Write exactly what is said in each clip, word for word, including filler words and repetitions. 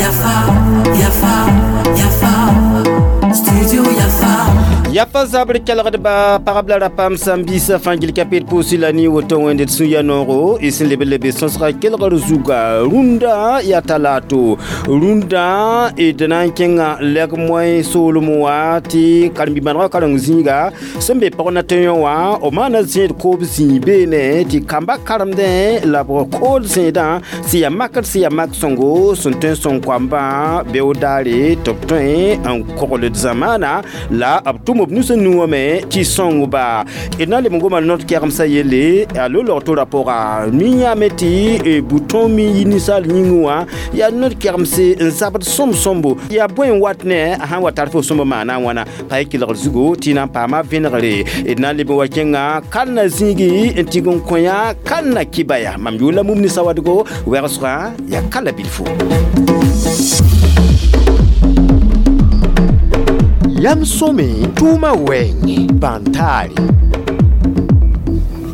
Yafa, Yafa, Yafa, Studio Yafa. Yafa zabr kelgdba pagb la rapam sãn biisã fãa gil ka peed pʋʋsɩ la ne woto wẽnd d sũ-ya noogo y sẽn leb n lebe sõsga kelgr zuga rũndã yaa talato rũndã d na n kẽnga lɛg moẽ soolem wã tɩ karen-bi-bãnegã karen zĩiga sẽn be pg na tẽ yõ wã b maana zẽed koob zĩig beene tɩ kamba karemdẽ la b kood zẽedã sẽn yaa makr sẽn yaa mak sõngo sẽn tõe n sõng koambã beood daare tɩ b tõe n kogl d zamaana la b tʋm b nus n nu wã me tɩ sõng ba d na n leb n goma not kɛgemsã yelle a lo-log to-ra pʋga mi yãame tɩ bouton mi yi ninsaal yĩngẽ wã yaa not kɛgemse n zabd sõm-sõmbo yaa bõe n wat ne a sãn wa tar fo sõmb maana a wãna pa y kelgr zugo tɩ na n paama vẽnegre d na n leb n wa kẽnga kalna zĩigi n tɩg n kõ yã kalna kibaya mam yʋʋr la mum ne sawadgo wɛgsgã yaa kala bilfo. Yam sõme tʋʋma wɛɛngẽ bãn-taare.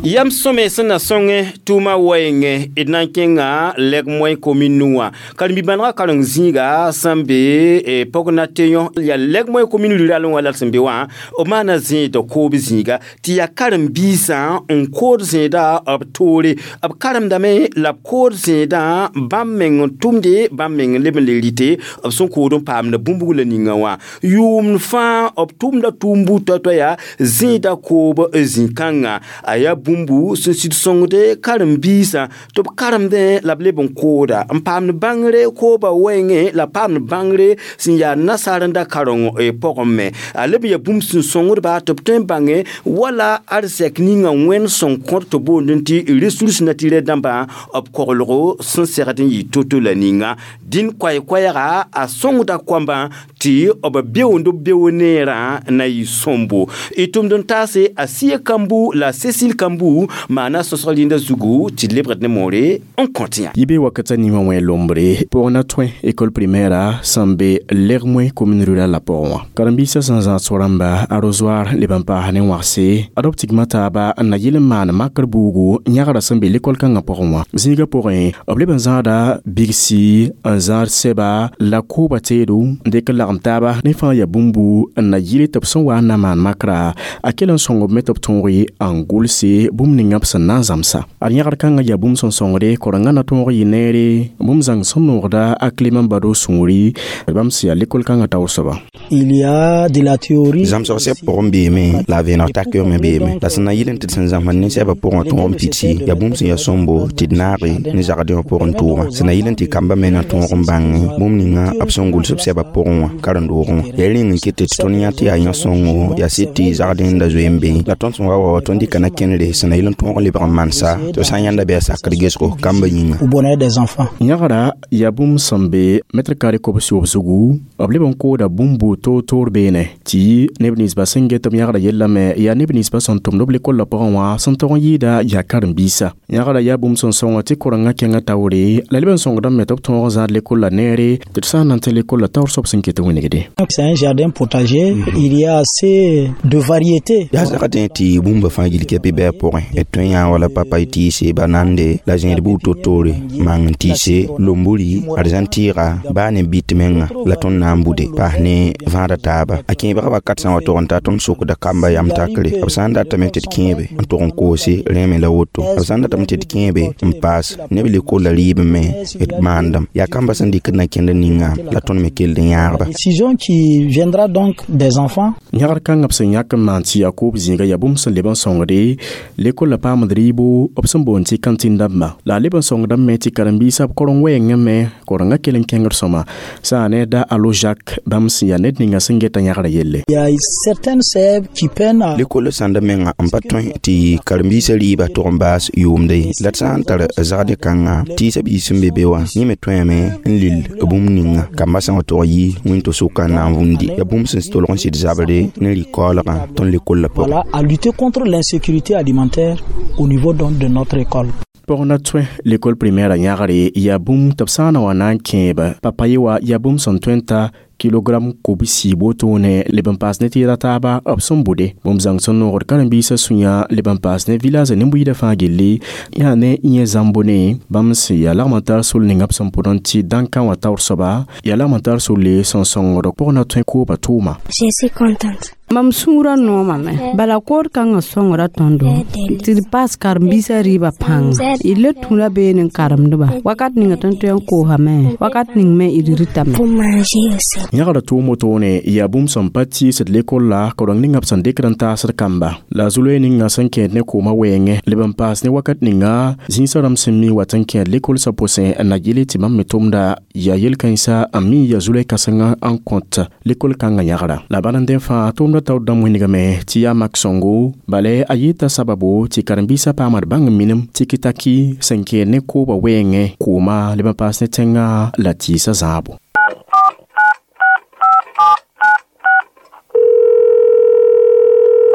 Yam sõme sẽn na sõngẽ tʋʋma wɛɛngẽ d na n kẽnga lɛg moẽ komin nu wã karen-bi-bãnegã karen zĩiga sẽn be pɔg na tẽ yõ yaa lɛg moẽ komin ruralẽ wã la d sẽn be wã b maana zẽed koob zĩiga tɩ yaa karen-biisã n kood zẽeda b toore b karemdame la b kood zẽedã bãmb meng n tʋmde bãmb meng n leb n le rɩte b sẽn kood n paamda bũmb la ninga wã yʋʋmd fãa b tʋmda tʋʋm buud toa-toa yaa zẽeda koob zĩ-kãnga a yaa bũmbu sẽn sɩd sõngde karen-biisã tɩ b karemdẽ la b leb n kooda n paamd bãngre kooba wɛɛngẽ la paamd bãngre sẽn yaa nasaarenda kareng pʋgẽ me a leb n yaa bũmb sẽn sõngdba tɩ b tõe n bãnge wala arzɛk ninga wẽnd sẽn kõt tɩ boondẽ tɩ ressource naturelle dãmbã b koglgo sẽn segd n yɩ to-to la ninga dĩn koɛɛ-koɛɛga a sõngda koambã tɩ b beoond b beoog neerã na yɩ sõmbo y tʋmd n taase a Sia Kambu la Cécile Kambu maana sõsg rĩndã zugu tɩ lebgd ne moore n kõt yã. Yɩ be wakata ninga wẽ lombre pʋg na tõe école primaire sẽn be lɛg moẽ commune rurale la pʋgẽ wã karen-biisã sẽn zãag so-rãmba arrosoir leb n paas ne wãgse ad b tigma taaba n na yɩl n maan makr buugu yãgra sẽn be l'école kãngã pʋgẽ wã zĩigã pʋgẽ b leb n zãada bigsi n zãad sɛba la kooba teedo n dɩk n lagem taaba ne fãa yaa bũmbu n na yɩl tɩ b sẽn wa n na maan makra a kell n sõng b me tɩ b tõog n gʋlse bũmb ninga b sẽn na n zãmsa ad yãgr kãngã yaa bũmb sẽn sõngde korengã na tõog yɩ neere bũmb zãng sẽn noogda a Clément Bado sũuri bãmb sẽn yaa l'école kãngã taoor soaba. Il y a de la théorie. Zãmsg sɛb pʋgẽ beeme la a vẽeneg takɩ me beeme la sẽn na yɩl n tɩ d sẽn zãmsd ne sɛbã pʋgẽ tõog n pidsi yaa bũmb sẽn yaa sõmbo tɩ d naage ne zagdẽ wã pʋgẽ tʋʋgã sẽn na yɩl n tɩ kambã me na tõog n bãng bũmb ninga b sẽn gʋls b sɛbã pʋgẽ wã karen-doogẽ wã yaa rẽng n ket tɩ tõnd yã tɩ yaa yã sõngo yaa sɩd tɩ zagdẽ da zoe n be la tõnd sẽn wa wa tõnd dɩka na kẽnere sẽn na yɩl n tõog n lebg n mansa tɩ sã n yãnda bɩ a sakd gesgo kambã yĩnga. Au bonheur des enfants. Yãgra yaa bũmb sẽn be mètre carré kobs yoob zugu b leb n kooda bũmb toor-toor beene tɩ neb ninsbã sẽn get b yãgra yellame yaa neb ninsbã sẽn tʋmd b lekol la pʋgẽ wã sẽn tog n yɩɩda yaa karen-biisã yãgra yaa bũmb sẽn sõnga tɩ korengã kẽngã taoore la leb n sõngdame me tɩ b tõog n zãad lekol la neere tɩ d sã n na n tɩ lekol la taoor soab sẽn ket n wingde. C'est un jardin potager, il y a assez de variétés. Yaa zagdẽ tɩ bũmba fãa gil kɛpɩ bɩ a pʋgẽ d tõe yã wala papay tɩɩse banande la zẽed buud to-toore mang n tɩɩse lomburi arzãn tɩɩga baa ne bɩt menga la tõnd na n bude paas ne vãada taaba a kẽebgã wakat sã n wa tog n ta tõnd sokda kamba yam takre b sã n datame tɩ d kẽebe n tog n koose rẽeme la woto b sã n datame tɩ d kẽebe n paas neb lekolla rɩɩb me d maandem yaa kamba sẽn dɩkd na kẽnd ninga la tõnd me kell n yãagba. Décision qui viendra donc des enfants. Yãgr kãngã b sẽn yãk n maan tɩ yaa koob zĩiga yaa bũmb sẽn leb n sõngde lekol la paamd rɩɩbo b sẽn boond tɩ kantɩn dãmba la a leb n sõngdame me tɩ karen-biisã b koreng wɛɛngẽ me korengã kell n kẽngd sõma sã ne da alo Jacques bãmb sẽn yaa ned ninga sẽn geta yãgra yelle. Il y a certaines sèves qui peinent à lekol sãnda menga n pa tõe tɩ karen-biisã rɩɩbã tog n baas yʋʋmde ye la d sã n tar zagdẽ kãnga tɩɩsã biis sẽn be be wã yẽ me tõeme n lil bũmb ninga kambã sã n wa tog yi wẽn-to-sʋka n na n vũndi yaa bũmb sẽn tolg n sɩd zabre ne rɩ-kaoolgã tõnd lekol la pʋgẽ. Voilà, à lutter contre l'insécurité alimentaire au niveau donc de notre école. Pɔg na tõe l'école primaire yãgre yaa bũmb tɩ b sã n na wa na n kẽeba papaye wa yaa bũmb sẽn tõe n ta Kilogram kobsi wotone leb n paas ne tɩɩda taaba b sẽn bʋde. Bũmb zãng sẽn noogd karen-biisã sũyã leb n paas ne village nin-buiidã fãa gilli yaa ne yẽ zãmbone bãmb sẽn yaa lagm n tar sol ninga b sẽn pʋd n tɩ dãnkã wã taoor soaba yaa lagm n tar solle sẽn sõngd pʋg na tõe kooba tʋʋma. Je suis contente. Mam sũurã noomame bala kood kãngã sõngra tõndo tɩ d paas karen-biisã rɩɩbã pãnga d le tũra beene n karemdba wakat ninga tõnd tõe n koosame wakat ning me d rɩtame. Pour manger aussi. Yãgda tʋʋm wotone yaa bũmb sẽn pa tɩɩsd lekol la koreng ninga b sẽn dɩkd n taasd kamba la zu-loe ninga sẽn kẽed ne koomã wɛɛngẽ leb n paas ne wakat ninga zĩisã rãmb sẽn mi wat n kẽed lekol sã pʋsẽ n na yɩle tɩ bãmb me tʋmda yaa yel-kãensã n mi yaa zu-loe kãsengã n kõt lekol kãngã yãgra la bala n dẽ fãa tʋʋmda taoor dãmb wĩnigame tɩ yaa mak sõngo bala a yɩɩta sababo tɩ karen-biisã paamd bãng n minim tɩ-kɩ-taki sẽn kẽed ne koobã wɛɛngẽ kooma leb n paas ne tẽngã la tɩɩsã zãabo.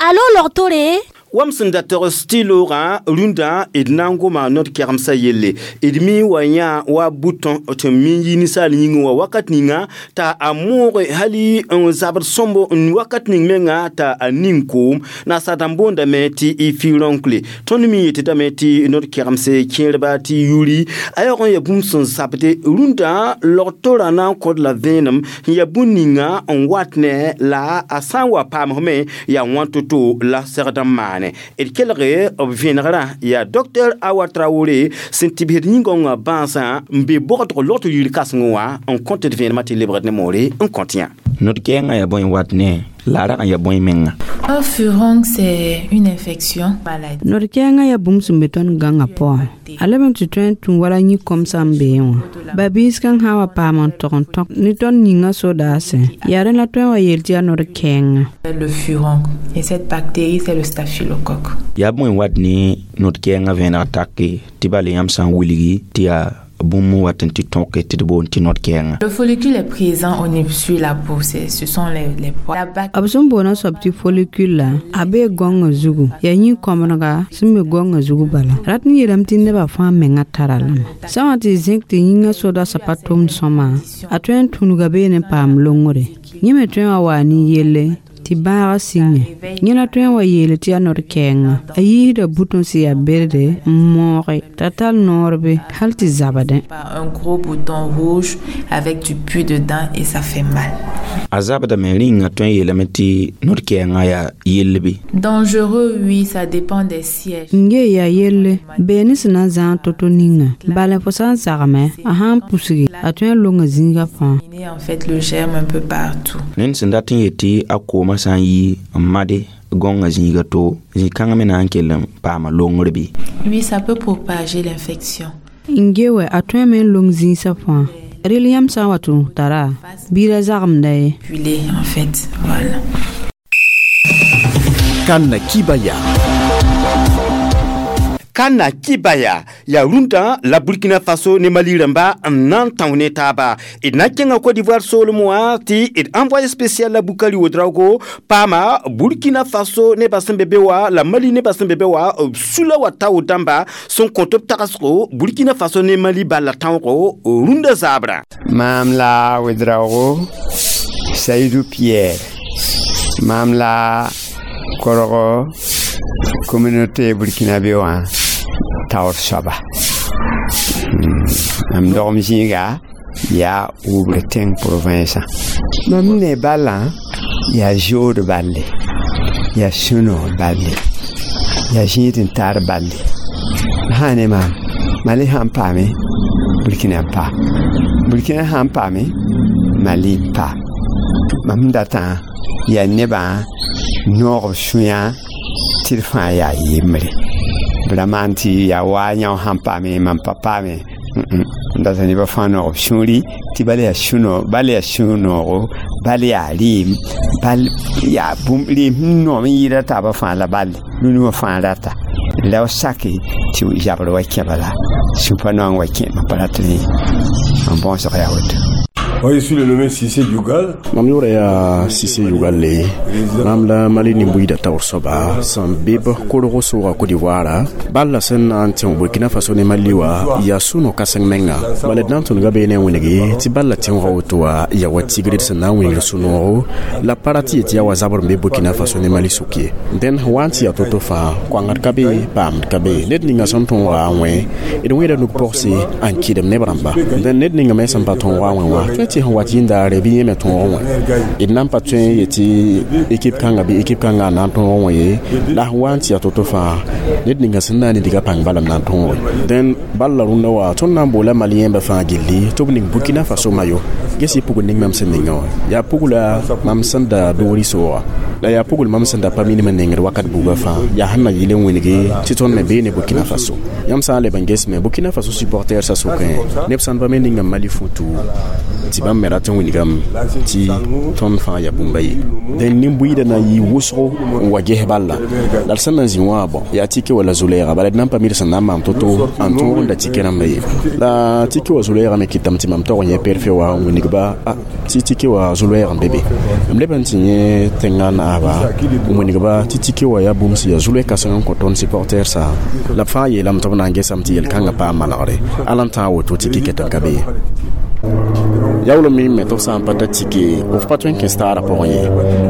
Allô, logtore? Wam sẽn da togs tɩ loogã rũndã d na n goma nod kɛgemsã yelle d mi wa yã wa bʋtõ tɩ mi n yi ninsaal yĩngẽ wã wakat ninga t'a a mooge hali n zabd sõmbo n wakat ning menga t'a a ning koom naasa dãmb boondame tɩ y fi-rõnkle tõnd mi yetdame tɩ nod kɛgemse kẽerba tɩ yuri a yaoog n ya bũmb sẽn zabde rũndã log-torã na n kõd la vẽenem n ya bũn ninga n wat ne la a sã n wa paamsme yaa wãn to-to la segd n maane. D kelge b vẽnegrã yaa docteur Awa Traoré sẽn tɩbsd yĩngõngã bãasã n be bogdg logtr yir kãsengẽ wã n kõt d vẽenemã tɩ lebgd ne moore n kõt yã. Nod-kɛɛngã yaa bõe n wat ne la a rag n yaa bõe menga. Un furoncle, c'est une infection maladie. Nod-kɛɛngã yaa bũmb sẽn be tõnd gãngã pʋgẽ. A leb n tɩ tõe n tũ wala yĩ-kõmsã n beẽ wã. Ba-biis kãng sã n wa paam n tog n tõk ne tõnd yĩngã sodaasẽ yaa rẽ la tõe n wa yeel tɩ yaa nod-kɛɛngã. Le furoncle. Et cette bactérie, c'est le staphylocoque. Yaa bõe n wat ne nod-kɛɛngã vẽeneg take tɩ bala yãmb sã n wilgi tɩ yaa bũmb n wat n tɩ tõke tɩ d boond tɩ nod-kɛɛngã. Le follicule est présent au niveau sur la peau, c'est, ce sont les, les poils. La bactérie. B sẽn boona soab tɩ follicule la a bee gõngã zugu yaa yĩ-kõmdga sẽn be gõngã zugu bala rat n yeelame tɩ nebã fãa menga tara lame sã wã tɩ zẽk tɩ yĩngã sodasã pa tʋmd sõma a tõe n tũnuga beene n paam longre yẽ me tõe n wa waa nin-yelle tɩ bãagã sĩnge yẽ la tõe n wa yeele tɩ yaa nod-kɛɛngã a yiisda butõ sẽn yaa berde n mooge t'a tar noor be hal tɩ zabdẽ. Un gros bouton rouge avec du pus dedans et ça fait mal. A zabdame rĩnga tõe n yeelame tɩ nod-kɛɛngã yaa yell bɩ. Dangereux, oui, ça dépend des sièges. N yee yaa yelle bee ne sẽn na n zãag to-to ninga bala fo sã n zagme a sã n pusge a tõe n longa zĩigã fãa. En fait, le germe un peu partout. Ned sẽn dat n yet tɩ a koomã sã n yi n made gõngã zĩiga to zĩ-kãngã me na n kell n paama longr bɩ. Oui, ça peut propager l'infection. N ge wɛ a tõeme n long zĩisã fãa rel yãmb sã n wa tũ tara bɩ ra zagmda ye. Pilé, en fait, voilà. Kana Kibaya. Kana Kibaya ya rũndã la Burkina Faso ne Mali rãmba n na n tão ne taaba d na n kẽnga Côte d'Ivoire soolem wã tɩ d envoyé spécial la Bukari Ouedraogo paama Burkina Faso nebã sẽn be be wã la Mali nebã sẽn be be wã b sula wa tao dãmba sẽn kõt b tagsgo Burkina Faso ne Mali balla tãoogo rũndã zaabrã. Maam la Ouedraogo Saïdou Pierre maam la korgo communauté burkinabé wã taoor soaba mam dogem zĩiga yaa Oubre tẽng province mam ne balã yaa zood balle yaa sũ-noog balle yaa zĩig n tar balle sã ne maam Mali sãn paame Burkina n pa Burkina sãn paame Mali n pa mam datã yaa nebã noog b sũyã tɩ d fãa yaa yembre b ra maan tɩ yaa waa yão sãn paame mam pa paame n data nebã fãa noog b sũuri tɩ bal yaa sũ-noog bal yaa sũ-noogo bal yaa rɩɩm bal yaa bũmb rɩɩm sẽn noom n yɩɩda taabã fãa la balle rũnu wã fãa rata la sake tɩ zabr wa kẽ bala sũ pa noang wa kẽ mam pa rat rẽ mam bõosg yaa woto. Moi, je suis le nommé Cissé Yugal. Mam yʋʋra yaa Sise Yugalle mam la Mali nin-buiida taoor soaba sẽn be b kolg sʋʋga Côte d'Ivoire bal la sẽn na n tẽ Burkina Faso ne Mali wã yaa sũ-no-kãseng menga bala d na n tõdga bee ne wẽnege tɩ bal la tẽoogã woto wã yaa wa tigr d sẽn na n wĩngr sũ-noogo la pa ra tɩ yet yaa wa zabr n be Burkina Faso ne Mali sʋk ye dẽn wa n tɩ yaa to-to fãa koangd ka be paamd ka be ned ninga sẽn tõoga n wẽ d wẽeda nug-pogse n kɩdem neb rãmba dẽn ned ninga me sẽn pa tõoga n wẽ wã tõe tɩ sẽn wat yĩndaare bɩ yẽ me tõog wã d na n pa tõe n yetɩ ekip kãnga bɩ ekip kãnga n na n tõog wã ye la sẽn wa n tɩ yaa to-to fãa ned ninga sẽn na n diga pãng bala m na n tõoge dẽn bal la rũndã wa tõnd na n boola maliyẽmbã fãa gilli tɩ b ning Burkina Faso mayo ges yɩ pugl ning mam sẽn ninga wã yaa pugla mam sẽn da doori sooga la yaa pugl mam sẽn da pa minim n nengd wakat buugã fãa yaa sẽn na yɩl n wĩnge tɩ tõnd me bee ne Burkina Faso yãmb sã n leb n ges me Burkina Faso supporter sa sʋkẽ neb sãn pa me ninga Mali futu tɩ bãmb me rat n wilgame tɩ tõnd fãa yaa bũmba ye dẽn nin-buiidã na n yɩ wʋsgo n wa ges balla la d sẽn na n zĩ wã bõ yaa tike wala zu-lɛɛga bala d na n pa mid sẽn na n maam to-to n tõog n da tike rãmba ye la tike wa zu-lɛɛga me kɩtame tɩ mam tog n yẽ perfe wa n wilgba tɩ tike wa zu-lɛɛg n be be m leb n tɩ yẽ tẽngã naaba n wilgba tɩ tike wa yaa bũmb sẽn yaa zu-lɛɛ kãseng n kõ tõnd supporter sã la b fãa yeelame tɩ b na n gesame tɩ yel-kãngã paam manegre ala n tãag woto tɩ kɩket n ka be ye yaool me me tɩ b sã n pa ta tike f pa tõe n kẽ staarã pʋgẽ ye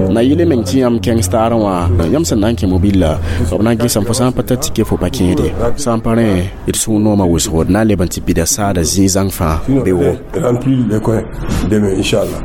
na yɩl meng tɩ yãmb kẽng staarã wã yãmb sẽn na n kẽ mobilla b na n gesame fo sã n pa ta tike fo pa kẽede sã n pa rẽ d sũ-noomã wʋsgo d na n leb n tɩ pida saada zĩig zãng fãa be wo Remplir les coins demain, Inch'Allah.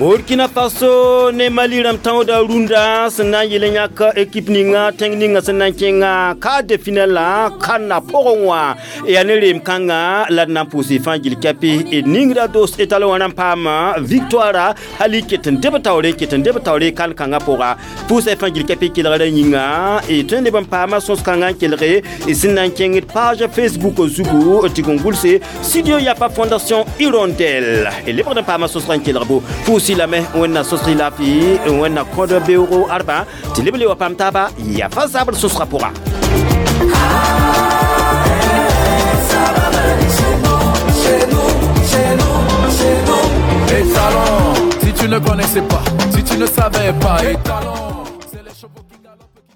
Burkina Faso ne Mali rãmb tãooda rũndã sẽn na n yel n yãk ekip ninga tẽng ninga sẽn na n kẽnga quart de finale la kãnna pʋgẽ wã yaa ne reem kãnga la d na n pʋʋs fãa gil kɛpɩ d ningra dos étalon wã rãmb paama victoire hali ket n deb taoore n ket n deb taoore kan kãngã pʋga pʋʋsa fãa gil kɛpɩ kelgrã yĩnga d tõe n leb n paama sõs-kãngã n kelge d sẽn na n kẽng d page Facebook zugu tɩ g n gʋlse Studio Yafa Fondation Hirondelle d lebgd n paama sõsgã n kelg bo pʋʋs lame wẽnna sõsg laafɩ wẽnna kõd beoogo arba tɩ leb le wa paam taaba yafa zabr sõsgã pʋga. Et talon, si tu ne connaissais pas, si tu ne savais pas, et talon.